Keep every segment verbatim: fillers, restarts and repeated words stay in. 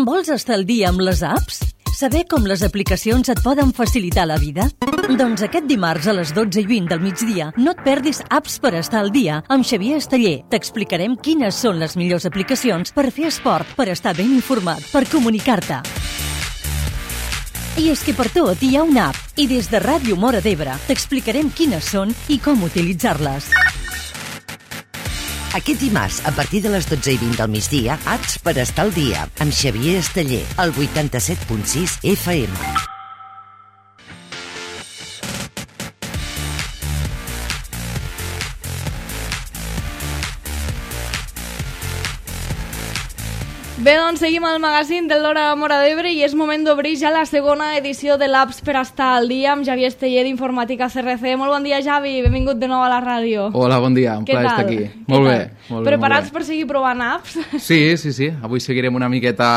Vols estar al dia amb les apps? Saber com les aplicacions et poden facilitar la vida? Doncs aquest dimarts a les dotze i vint del migdia no et perdis Apps per estar al dia amb Xavier Esteller. T'explicarem quines són les millors aplicacions per fer esport, per estar ben informat, per comunicar-te. I és que per tot hi ha una app i des de Ràdio Móra d'Ebre t'explicarem quines són i com utilitzar-les. Aquest dimarts, a partir de les dotze i vint del migdia, Apps per estar al dia, amb Xavier Esteller, al vuitanta-set punt sis F M. Bé, doncs seguim al magazín de l'Hora Móra d'Ebre i és moment d'obrir ja la segona edició de l'Apps per estar al dia amb Xavier Esteller d'Informàtica C R C. Molt bon dia, Xavi, benvingut de nou a la ràdio. Hola, bon dia, un plaer estar aquí. Què Molt tal? bé, molt bé. Preparats molt bé. per seguir provant apps? Sí, sí, sí. Avui seguirem una miqueta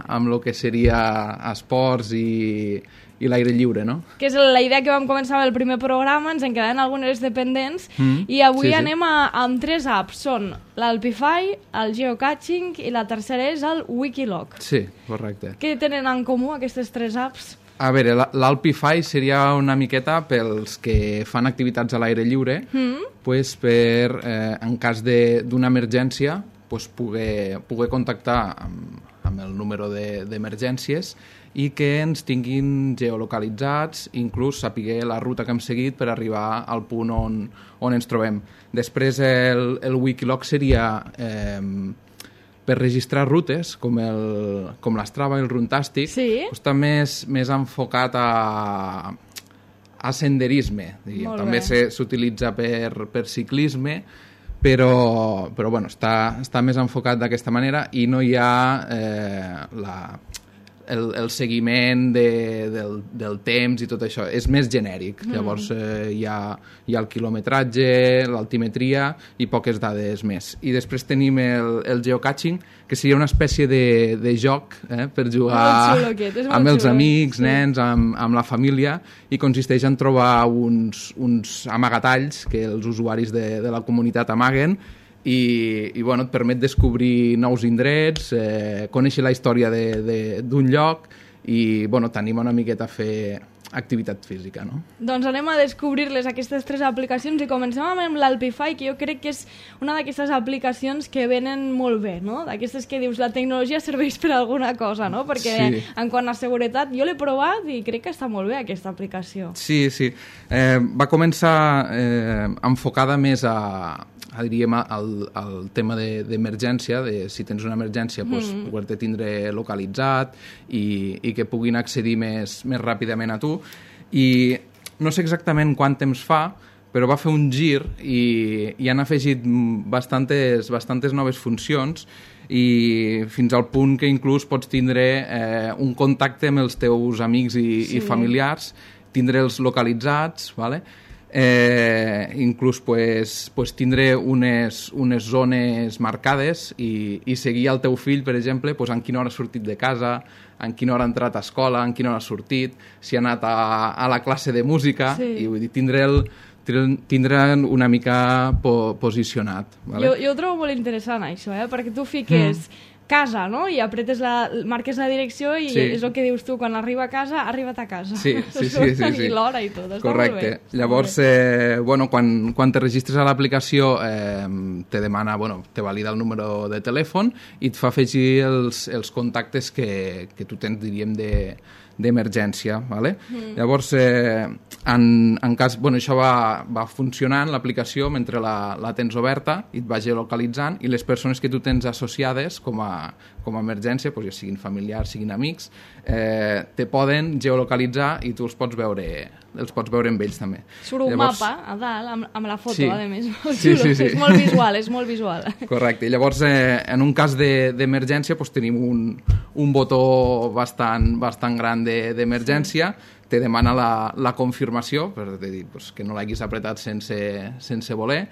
amb el que seria esports i, i l'aire lliure, no? Que és la idea que vam començar amb el primer programa, ens en quedaven algunes dependents, mm, i avui sí, sí. anem a, amb tres apps. Són l'Alpify, el Geocaching i la tercera és el Wikiloc. Sí, correcte. Què tenen en comú aquestes tres apps? A veure, la- l'Alpify seria una miqueta pels que fan activitats a l'aire lliure, Mm? pues per, eh, en cas de- d'una emergència, pues poder, poder contactar amb, amb el número de- d'emergències i que ens tinguin geolocalitzats, inclús saber la ruta que hem seguit per arribar al punt on, on ens trobem. Després el, el Wikiloc seria eh, per registrar rutes, com, el, com l'Strava i el Runtastic, Sí. està més, més enfocat a, a senderisme. Diguem. Molt També bé. se- s'utilitza per, per ciclisme, però, però bueno, està, està més enfocat d'aquesta manera i no hi ha eh, la, el, el seguiment de, del, del temps i tot això. És més genèric. Mm. Llavors eh, hi, ha, hi ha el quilometratge, l'altimetria i poques dades més. I després tenim el, el geocaching, que seria una espècie de, de joc eh, per jugar Molt xulo aquest, és molt amb els xulo. amics, Sí. nens, amb, amb la família, i consisteix en trobar uns, uns amagatalls que els usuaris de, de la comunitat amaguen i, i bueno, et permet descobrir nous indrets, eh, conèixer la història de- de- d'un lloc i bueno, t'anima una miqueta a fer activitat física, no? Doncs anem a descobrir-les, aquestes tres aplicacions, i comencem amb l'Alpify, que jo crec que és una d'aquestes aplicacions que venen molt bé, no? D'aquestes que dius, la tecnologia serveix per alguna cosa, no? Perquè Sí. en quant a seguretat, jo l'he provat i crec que està molt bé aquesta aplicació. Sí, sí. Eh, va començar eh, enfocada més a, a diríem, al, al tema de- d'emergència, de, de si tens una emergència, mm. pues, poder-te tindre localitzat i, i que puguin accedir més, més ràpidament a tu. I no sé exactament quant temps fa, però va fer un gir i, i han afegit bastantes, bastantes noves funcions i fins al punt que inclús pots tindre eh, un contacte amb els teus amics i, Sí. i familiars, tindre'ls localitzats, ¿vale? eh, inclús pues, pues tindre unes, unes zones marcades i, i seguir el teu fill, per exemple, pues en quina hora ha sortit de casa, en quina hora ha entrat a escola, en quina hora ha sortit, si ha anat a, a la classe de música, Sí. i vull dir, tindre'l tindran una mica po posicionat. Vale? Jo, jo ho trobo molt interessant, això, eh? Perquè tu fiques mm. casa, no? I apretes la, marques la direcció i Sí. és el que dius tu, quan arriba a casa, ha arribat a casa. Sí, sí, sí, sí, sí. I l'hora i tot, està Correcte. molt bé. Està Llavors, molt bé. eh, bueno, quan, quan te registres a l'aplicació eh, te demana, bueno, te valida el número de telèfon i et fa afegir els, els contactes que, que tu tens, diríem, de d'emergència, ¿vale? Mm. Llavors, eh, en, en cas, bueno, això va, va funcionant, l'aplicació, mentre la, la tens oberta i et va geolocalitzant, i les persones que tu tens associades com a, com a emergència, doncs ja siguin familiars, siguin amics, eh, te poden geolocalitzar i tu els pots veure, els pots veure amb ells també. Surt un Llavors, mapa a dalt, amb, amb la foto, Sí. a més. Molt Sí, xulo. sí, sí. És molt visual, és molt visual. Correcte. I llavors, eh, en un cas de- d'emergència, doncs tenim un, un botó bastant, bastant gran de- d'emergència, sí. Te demana la, la confirmació, per dir, doncs, que no l'haguis apretat sense, sense voler,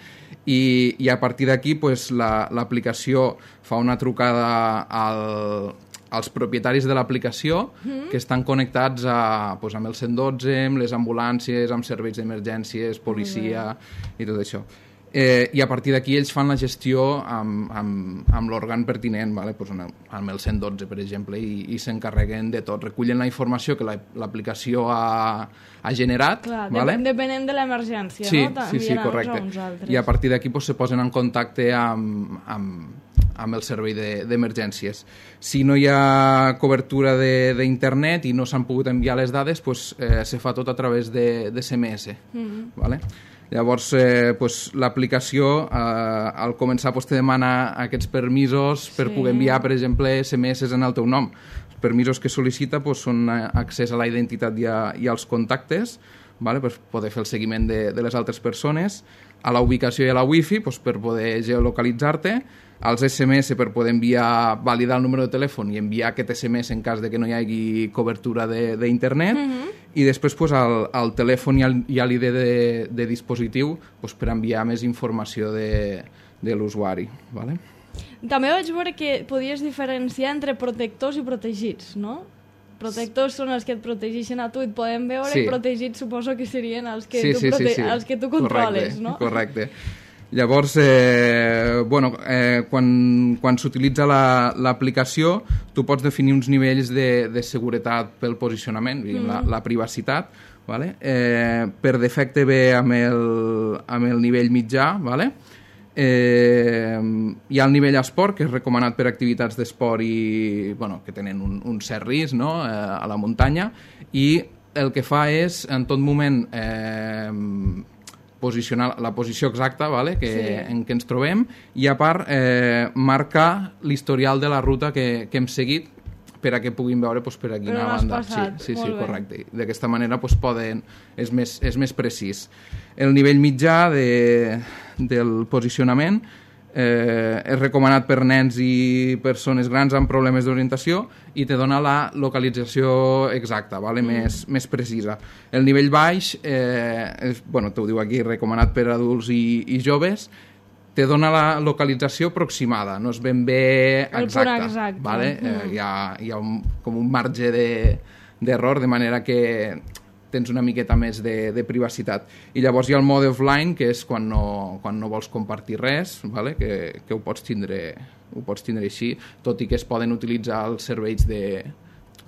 i, i a partir d'aquí doncs, la- l'aplicació fa una trucada al, als propietaris de l'aplicació mm. que estan connectats a, doncs, amb el cent dotze, amb les ambulàncies, amb serveis d'emergències, policia i tot això. Eh, i a partir d'aquí ells fan la gestió amb, amb, amb l'òrgan pertinent, vale? Pues amb el cent dotze, per exemple, i, i s'encarreguen de tot. Recullen la informació que l'aplicació ha, ha generat. Clar, vale? Depenent de l'emergència, sí, no? Sí, sí, correcte. I a partir d'aquí pues, se posen en contacte amb, amb, amb el servei d'emergències. De, si no hi ha cobertura d'internet i no s'han pogut enviar les dades, pues, eh, se fa tot a través de, de ese eme esse. Mm-hmm. Vale? Llavors, eh, pues, l'aplicació, eh, al començar, pues, te demana aquests permisos per sí. poder enviar, per exemple, ese eme esse en el teu nom. Els permisos que sol·licita pues, són accés a la identitat i, a, i als contactes, vale? Per poder fer el seguiment de, de les altres persones, a la ubicació i a la wifi pues, per poder geolocalitzar-te, als ese eme esse per poder enviar, validar el número de telèfon i enviar aquest ese eme esse en cas de que no hi hagi cobertura d'internet, mm-hmm. i després pues, al, al telèfon i, al, i a l'I D de, de dispositiu pues, per enviar més informació de, de l'usuari. Vale? També vaig veure que podies diferenciar entre protectors i protegits, no? Protectors són els que et protegeixen a tu i et poden veure, sí. I protegits suposo que serien els que, sí, tu, sí, prote sí, sí. els que tu controles, correcte, no? Correcte. Llavors, eh, bueno, eh, quan, quan s'utilitza l'aplicació, la, tu pots definir uns nivells de, de seguretat pel posicionament, mm. la, la privacitat, vale? eh, per defecte ve amb el, amb el nivell mitjà, vale? eh, hi ha el nivell esport, que és recomanat per activitats d'esport i, bueno, que tenen un, un cert risc, no? eh, a la muntanya, i el que fa és, en tot moment, eh, posicionar la posició exacta, vale? que, sí. en què ens trobem, i a part eh, marcar l'historial de la ruta que, que hem seguit per a que puguin veure pues, per a quina banda. Passat. Sí, sí, sí, bé. correcte. D'aquesta manera pues, poden, és, més, és més precís. El nivell mitjà de, del posicionament eh, és recomanat per nens i persones grans amb problemes d'orientació i te dona la localització exacta, vale? mm. més, més precisa. El nivell baix, eh, és, bueno, t'ho diu aquí, recomanat per adults i, i joves, te dona la localització aproximada, no és ben bé exacta. El punt exacte. Vale? Mm. Eh, hi ha, hi ha un, com un marge d'error, de, de manera que tens una miqueta més de, de privacitat. I llavors hi ha el mode offline, que és quan no, quan no vols compartir res, vale? que, que ho pots tindre, ho pots tindre així, tot i que es poden utilitzar els serveis de...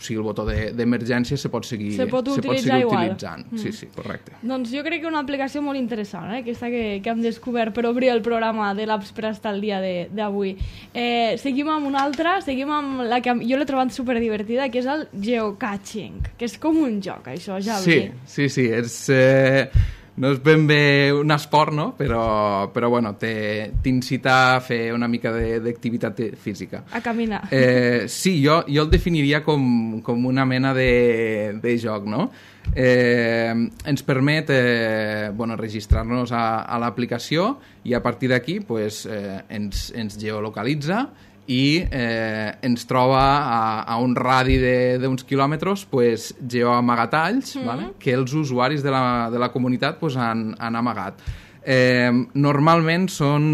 O sigui, el botó d'emergència de, se pot seguir, se pot utilitzar, se pot seguir igual. utilitzant. Mm. Sí, sí, correcte. Doncs jo crec que una aplicació molt interessant, eh? Aquesta que, que hem descobert per obrir el programa de l'Apps per estar al dia d'avui. Eh, seguim amb una altra, seguim amb la que jo l'he trobat superdivertida, que és el geocaching, que és com un joc, això, ja sí, sí, sí, és... Eh... No és ben bé un esport, no? Però, però bueno, t'incita a fer una mica d'activitat física. A caminar. Eh, sí, jo, jo el definiria com, com una mena de, de joc, no? Eh, ens permet eh, bueno, registrar-nos a, a l'aplicació i a partir d'aquí pues, eh, ens, ens geolocalitza i eh, ens troba a, a un radi d'uns quilòmetres pues, geoamagatalls mm. vale? que els usuaris de la, de la comunitat pues, han, han amagat. Eh, normalment són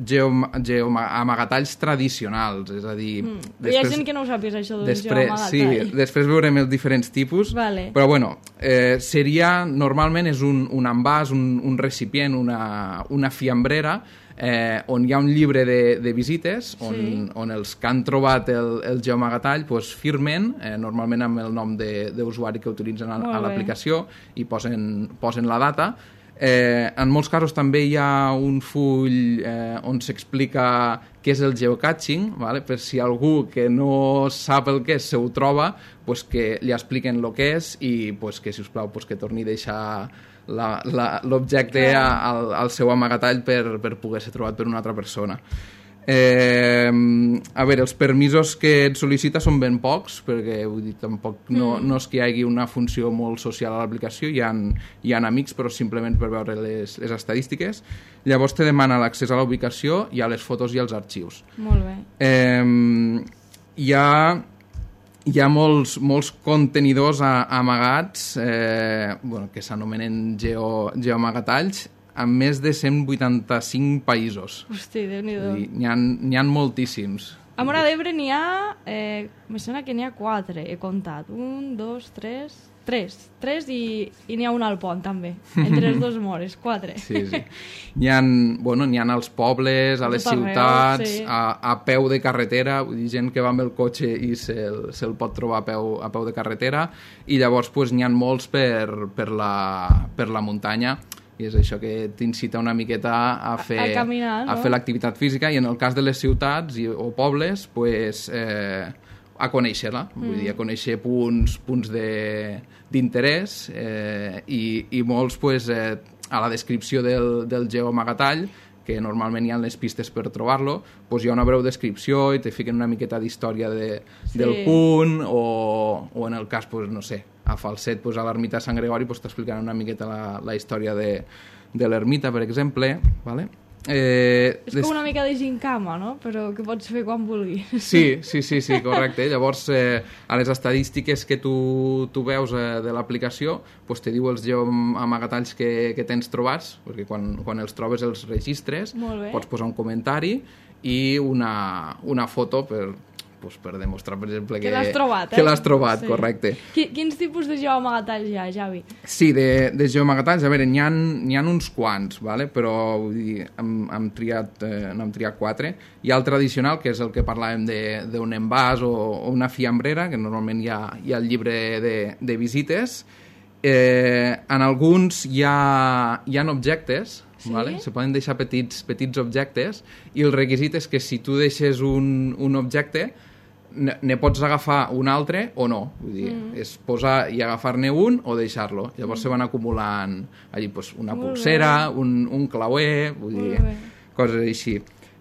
geoamagatalls geo tradicionals, és a dir... Mm. Després, hi ha gent que no ho sàpies, això d'un geoamagatall. Sí, després veurem els diferents tipus, vale. Però bueno, eh, seria, normalment és un, un envàs, un, un recipient, una, una fiambrera, Eh, on hi ha un llibre de, de visites on, sí. on els que han trobat el, el geoamagatall pues, firmen, eh, normalment amb el nom d'usuari que utilitzen a, a l'aplicació i posen, posen la data. Eh, en molts casos també hi ha un full eh, on s'explica què és el geocaching, vale? Per si algú que no sap el que és se ho troba, pues, que li expliquen el que és i pues, que, si us plau, pues, que torni a deixar l'objecte al, al seu amagatall per, per poder ser trobat per una altra persona. Eh, a veure, els permisos que et sol·licita són ben pocs, perquè vull dir, tampoc no, mm. no és que hi hagi una funció molt social a l'aplicació, hi ha, hi ha amics, però simplement per veure les, les estadístiques. Llavors te demana l'accés a la ubicació i a les fotos i als arxius. Molt bé. Eh, hi ha... Hi ha molts, molts contenidors a, amagats eh, bueno, que s'anomenen geo, geoamagatalls amb més de cent vuitanta-cinc països. Hosti, Déu-n'hi-do. N'hi ha, ha moltíssims. A Móra d'Ebre n'hi ha... Eh, me sembla que n'hi ha quatre, he comptat. Un, dos, tres... Tres. Tres i, i n'hi ha un al pont, també. Entre els dos mores, quatre. Sí, sí. N'hi ha, bueno, n'hi ha als pobles, a les Tot arreu, ciutats, sí. a, a peu de carretera, vull dir, gent que va amb el cotxe i se'l se pot trobar a peu, a peu de carretera, i llavors pues, n'hi ha molts per, per, la, per la muntanya, i és això que t'incita una miqueta a fer, a, a caminar, no? a fer l'activitat física, i en el cas de les ciutats i, o pobles, pues, eh, a conèixer-la, mm. vull dir, a conèixer punts, punts d'interès eh, i, i molts, pues, eh, a la descripció del, del geoamagatall, que normalment hi ha les pistes per trobar-lo, pues hi ha una breu descripció i te fiquen una miqueta d'història de, sí. del punt, o, o en el cas, pues, no sé, a Falset, pues, a l'ermita de Sant Gregori, pues, t'explicaran una miqueta la, la història de, de l'ermita, per exemple, ¿vale? Eh, és des... com una mica de gincama, no? Però que pots fer quan vulguis. Sí, sí, sí, sí, correcte. Llavors, eh, a les estadístiques que tu, tu veus eh, de l'aplicació, pues, te diu els geoamagatalls que, que tens trobats, perquè quan, quan els trobes els registres, pots posar un comentari i una, una foto per... Pues per demostrar, per exemple, que, que l'has trobat, eh? Que l'has trobat, sí. Correcte. Quins tipus de geoamagatalls hi ha, Javi? Sí, de, de geoamagatalls, a veure, n'hi ha, n'hi ha uns quants, vale? Però vull dir, hem, hem triat, eh, no hem triat quatre. Hi ha el tradicional, que és el que parlàvem d'un envàs o, o una fiambrera, que normalment hi ha, hi ha el llibre de, de visites. Eh, en alguns hi ha, hi ha objectes, sí? Vale? Se poden deixar petits, petits objectes, i el requisit és que si tu deixes un, un objecte, ne pots agafar un altre o no. Vull dir, mm. és posar i agafar-ne un o deixar-lo. Llavors mm. se van acumulant allí, pues, una Molt pulsera, un, un clauer, vull dir, coses així.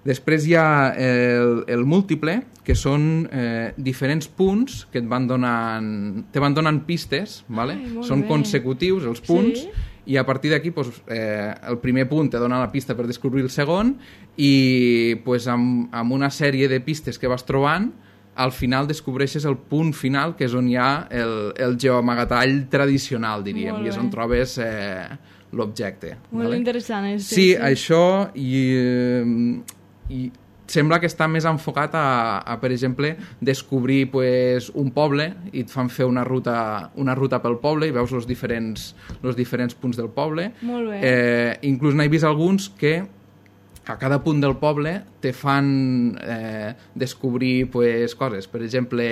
Després hi ha el, el múltiple, que són eh, diferents punts que et van donant, te van donant pistes, vale? Ai, són bé. Consecutius els punts, sí? I a partir d'aquí pues, eh, el primer punt te dona la pista per descobrir el segon, i pues, amb, amb una sèrie de pistes que vas trobant, al final descobreixes el punt final, que és on hi ha el, el geoamagatall tradicional, diríem, i és on trobes eh, l'objecte. Molt vale? Interessant. És, sí, sí, això, i, i sembla que està més enfocat a, a per exemple, descobrir pues, un poble, i et fan fer una ruta, una ruta pel poble, i veus els diferents, els diferents punts del poble. Molt bé. Eh, inclús n'he vist alguns que a cada punt del poble te fan eh, descobrir pues, coses. Per exemple,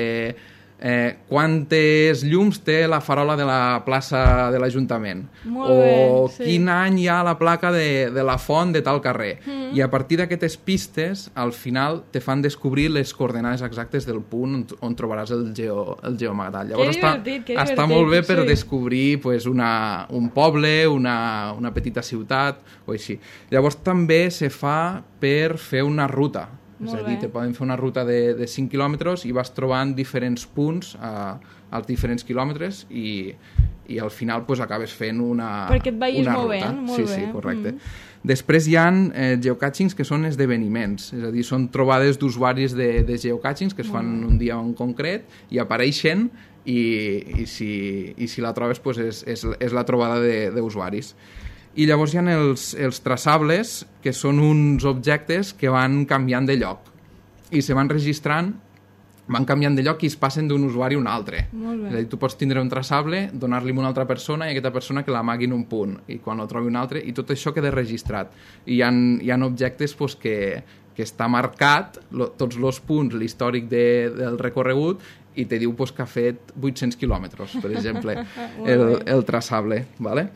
eh, quantes llums té la farola de la plaça de l'Ajuntament. O bé, sí. Quin any hi ha la placa de, de la font de tal carrer. Mm. I a partir d'aquestes pistes, al final te fan descobrir les coordenades exactes del punt on, on trobaràs el, geo, el geoamagatall. Llavors que està, divertit, que està divertit, molt bé per sí. descobrir pues, una, un poble, una, una petita ciutat o així. Llavors també se fa per fer una ruta. Molt és a dir, bé. te poden fer una ruta de, de cinc quilòmetres i vas trobant diferents punts a, als diferents quilòmetres, i, i al final pues, acabes fent una, perquè et vagis una movent, ruta. molt sí, bé. Sí, correcte. Mm. Després hi ha eh, geocachings, que són esdeveniments, és a dir, són trobades d'usuaris de, de geocachings que es fan mm. un dia en concret i apareixen, i, i, si, i si la trobes pues, és, és, és la trobada d'usuaris. I llavors hi ha els, els traçables, que són uns objectes que van canviant de lloc i se van registrant, van canviant de lloc i es passen d'un usuari a un altre. Molt bé. És a dir, tu pots tindre un traçable, donar-li a una altra persona, i aquesta persona que l'amagui en un punt, i quan el trobi un altre, i tot això queda registrat. I hi ha, hi ha objectes pues, que, que està marcat, lo, tots els punts, l'històric de, del recorregut, i te diu pues, que ha fet vuit-cents quilòmetres, per exemple, el, el traçable. Vale?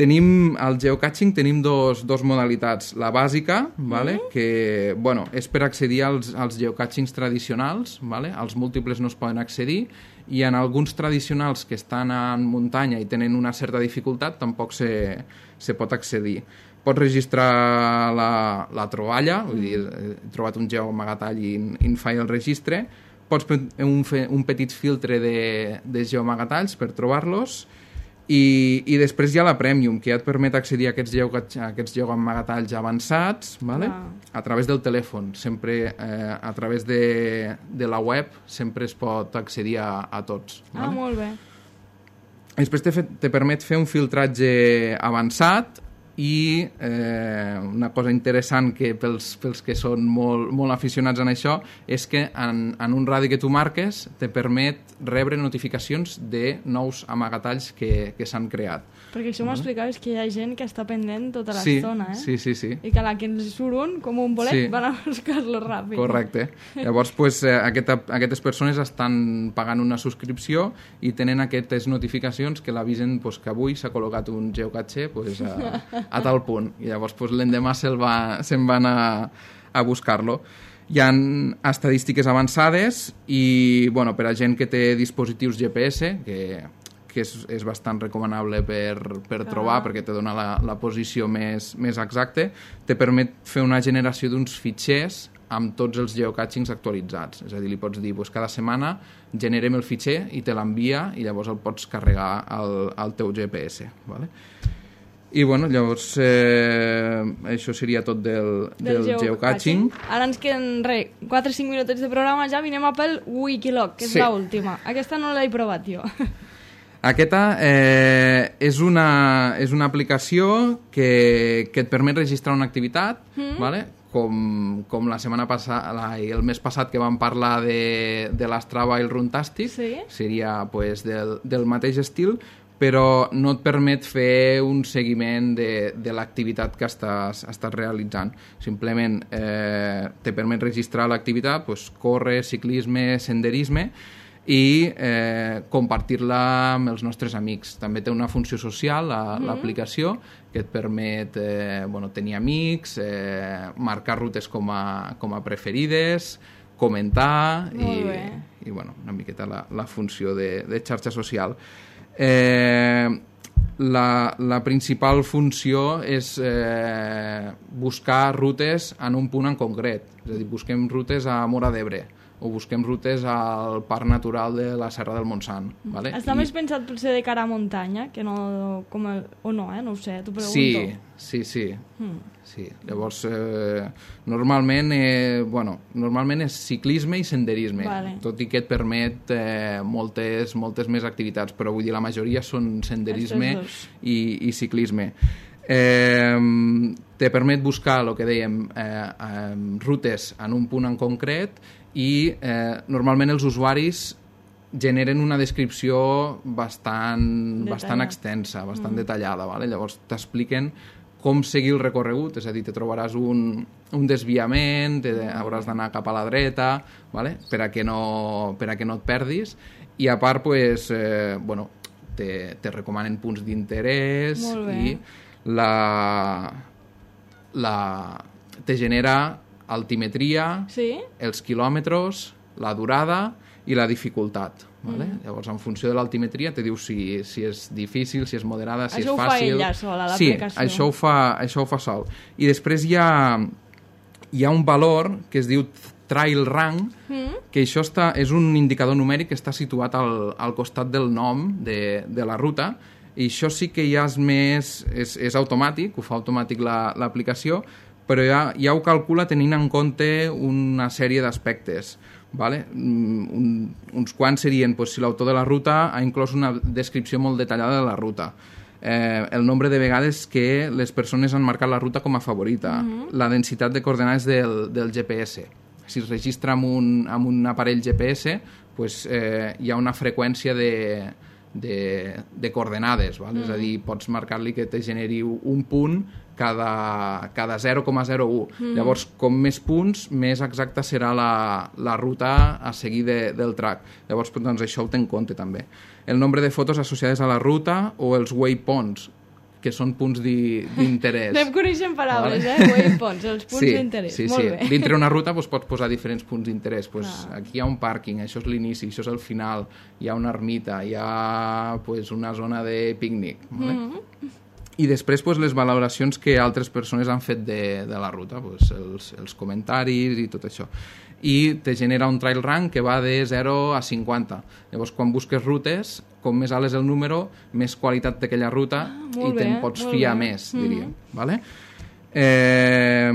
Tenim, al geocaching tenim dos, dos modalitats. La bàsica, vale? Mm. que bueno, és per accedir als, als geocachings tradicionals, vale? Els múltiples no es poden accedir, i en alguns tradicionals que estan en muntanya i tenen una certa dificultat tampoc se, se pot accedir. Pots registrar la, la troballa, vull dir, he trobat un geoamagatall i en faig el registre, pots fer un, un petit filtre de, de geoamagatalls per trobar-los, I, i després hi ha la Premium, que ja et permet accedir a aquests, geo, a aquests geoamagatalls avançats, vale? Ah. a través del telèfon. Sempre eh, a través de, de la web sempre es pot accedir a, a tots. Ah, vale? Molt bé. Després te, te permet fer un filtratge avançat, i eh, una cosa interessant que pels, pels que són molt, molt aficionats en això és que en, en un radi que tu marques te permet rebre notificacions de nous amagatalls que, que s'han creat. Perquè això m'ho explicaves que hi ha gent que està pendent tota sí, l'estona, eh? Sí, sí, sí. I que a la que ens surt un, com un bolet, sí. van a buscar-lo ràpid. Correcte. Llavors, pues, eh, aquesta, aquestes persones estan pagant una subscripció i tenen aquestes notificacions que l'avisen pues, que avui s'ha col·locat un geocache pues, a, a tal punt. I llavors pues, l'endemà se'n va, se van a, a buscar-lo. Hi ha estadístiques avançades i bueno, per a gent que té dispositius G P S, que, que és, és bastant recomanable per, per trobar, ah. perquè te dona la, la posició més, més exacta, te permet fer una generació d'uns fitxers amb tots els geocachings actualitzats. És a dir, li pots dir, pues, cada setmana generem el fitxer i te l'envia i llavors el pots carregar al, al teu G P S. Vale? I bueno, llavors eh, això seria tot del, del, del geocaching. Ara ens queden re, quatre o cinc minutets de programa ja, vinem a pel Wikiloc, que és sí. l'última. Aquesta no l'he provat jo. Aquesta eh, és, una, és una aplicació que, que et permet registrar una activitat, mm. vale? com, com la setmana passada, el mes passat que vam parlar de, de l'Strava i el Runtastic, sí? Seria pues, del, del mateix estil, però no et permet fer un seguiment de, de l'activitat que estàs, estàs realitzant. Simplement eh, te permet registrar l'activitat, pues, córrer, ciclisme, senderisme, i eh, compartir-la amb els nostres amics. També té una funció social, la, mm-hmm. l'aplicació, que et permet eh, bueno, tenir amics, eh, marcar rutes com a, com a preferides, comentar i, i bueno, una miqueta la, la funció de, de xarxa social. Eh, la, la principal funció és eh, buscar rutes en un punt en concret. És a dir, busquem rutes a Móra d'Ebre o busquem rutes al Parc Natural de la Serra del Montsant. Vale? Està I... més pensat potser de cara a muntanya, que no, com el, o no, eh? No ho sé, t'ho pregunto. Sí, sí, sí. Hmm. sí. Llavors, eh, normalment, eh, bueno, normalment és ciclisme i senderisme, vale. Tot i que et permet eh, moltes, moltes més activitats, però vull dir, la majoria són senderisme i, i ciclisme. Eh, te permet buscar, el que dèiem, eh, eh, rutes en un punt en concret i eh, normalment els usuaris generen una descripció bastant, bastant extensa, bastant mm. detallada. Vale? Llavors t'expliquen com seguir el recorregut, és a dir, te trobaràs un, un desviament, te, hauràs d'anar cap a la dreta, vale? per, a que no, per a que no et perdis, i a part pues, eh, bueno, te, te recomanen punts d'interès i la, la, te genera altimetria, sí? Els quilòmetres, la durada i la dificultat. Vale? Mm. Llavors, en funció de l'altimetria, te diu si, si és difícil, si és moderada, si això és fàcil... Això ho fa ella sola, l'aplicació. Sí, això ho, fa, això ho fa sol. I després hi ha, hi ha un valor que es diu Trail Rank, mm. que això està, és un indicador numèric que està situat al, al costat del nom de, de la ruta, i això sí que ja és més... és, és automàtic, ho fa automàtic l'aplicació, la, però ja, ja ho calcula tenint en compte una sèrie d'aspectes. Vale? Un, uns quants serien pues, si l'autor de la ruta ha inclòs una descripció molt detallada de la ruta, eh, el nombre de vegades que les persones han marcat la ruta com a favorita, uh-huh. la densitat de coordenades del, del G P S. Si es registra amb un, amb un aparell G P S, pues, eh, hi ha una freqüència de, de, de coordenades, val? Uh-huh. És a dir, pots marcar-li que te generi un punt cada, cada zero coma zero u. Mm. Llavors, com més punts, més exacta serà la, la ruta a seguir de, del track. Llavors, doncs, això ho té en compte també. El nombre de fotos associades a la ruta o els waypoints, que són punts d'interès. Anem coneixent paraules, vale? eh? Waypoints, els punts sí, d'interès. Sí, Molt sí. bé. Dintre una ruta doncs, pots posar diferents punts d'interès. Pues, ah. Aquí hi ha un pàrquing, això és l'inici, això és el final, hi ha una ermita, hi ha pues, una zona de pícnic. Vale? Mm-hmm. I després pues, les valoracions que altres persones han fet de, de la ruta, pues, els, els comentaris i tot això. I te genera un trail rank que va de zero a cinquanta. Llavors, quan busques rutes, com més alt és el número, més qualitat té aquella ruta ah, i te'n pots fiar bé. més, diríem. Mm-hmm. Vale? Eh,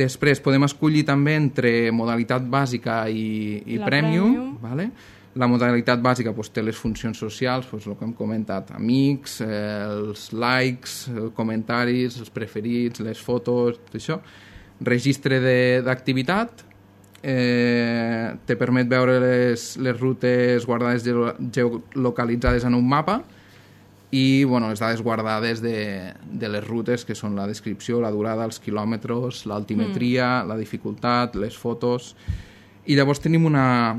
després podem escollir també entre modalitat bàsica i, i premium. premium. Vale? La modalitat bàsica doncs, té les funcions socials, doncs, el que hem comentat, amics, eh, els likes, els comentaris, els preferits, les fotos, tot això. Registre d'activitat, eh, te permet veure les, les rutes guardades geolocalitzades en un mapa i bueno, les dades guardades de, de les rutes, que són la descripció, la durada, els quilòmetres, l'altimetria, mm. la dificultat, les fotos. I llavors tenim una,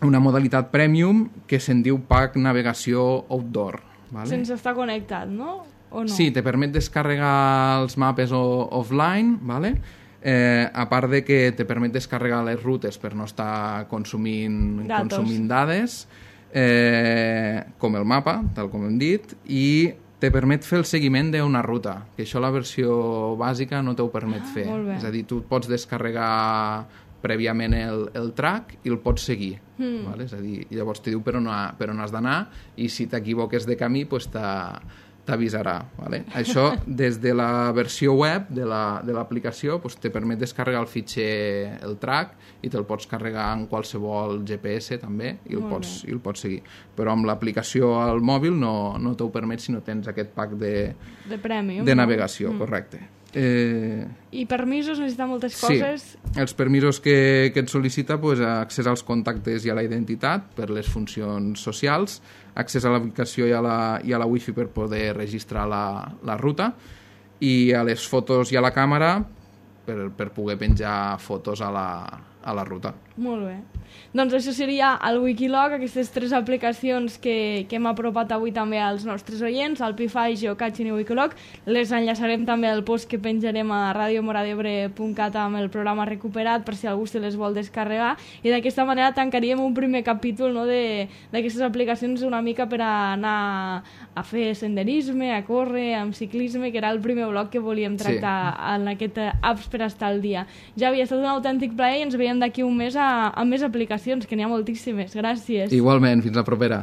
una modalitat premium que se'n diu Pack Navegació Outdoor. Vale? Sense estar connectat, no? O no? Sí, te permet descarregar els mapes o, offline, vale? Eh, a part de que te permet descarregar les rutes per no estar consumint, consumint dades, eh, com el mapa, tal com hem dit, i te permet fer el seguiment d'una ruta, que això la versió bàsica no t'ho permet fer. Ah, és a dir, tu pots descarregar prèviament el, el track i el pots seguir. Mm. Vale? És a dir, llavors te diu per on, ha, per on has d'anar i si t'equivoques de camí pues t'avisarà. Vale? Això, des de la versió web de l'aplicació, la, pues, te permet descarregar el fitxer, el track, i te'l pots carregar en qualsevol G P S també i el, pots, i el pots seguir. Però amb l'aplicació al mòbil no, no t'ho permet si no tens aquest pack de, de, premium, de navegació, no? Correcte. Eh... I permisos, necessita moltes coses? Sí, els permisos que, que et sol·licita, pues, accés als contactes i a la identitat per les funcions socials, accés a l'aplicació i, a la, i a la wifi per poder registrar la, la ruta, i a les fotos i a la càmera per, per poder penjar fotos a la, a la ruta. Molt bé. Doncs això seria el Wikilog, aquestes tres aplicacions que, que hem apropat avui també als nostres oients, el Pify, Geocaching i Wikilog. Les enllaçarem també al post que penjarem a radio mora d'ebre punt cat amb el programa recuperat per si algú se les vol descarregar, i d'aquesta manera tancaríem un primer capítol, no, d'aquestes aplicacions una mica per anar a fer senderisme, a córrer, amb ciclisme, que era el primer bloc que volíem tractar sí. en aquest apps per estar al dia. Ja havia estat un autèntic plaer i ens veiem d'aquí un mes a, a més aplicacions, que n'hi ha moltíssimes. Gràcies. Igualment, fins la propera.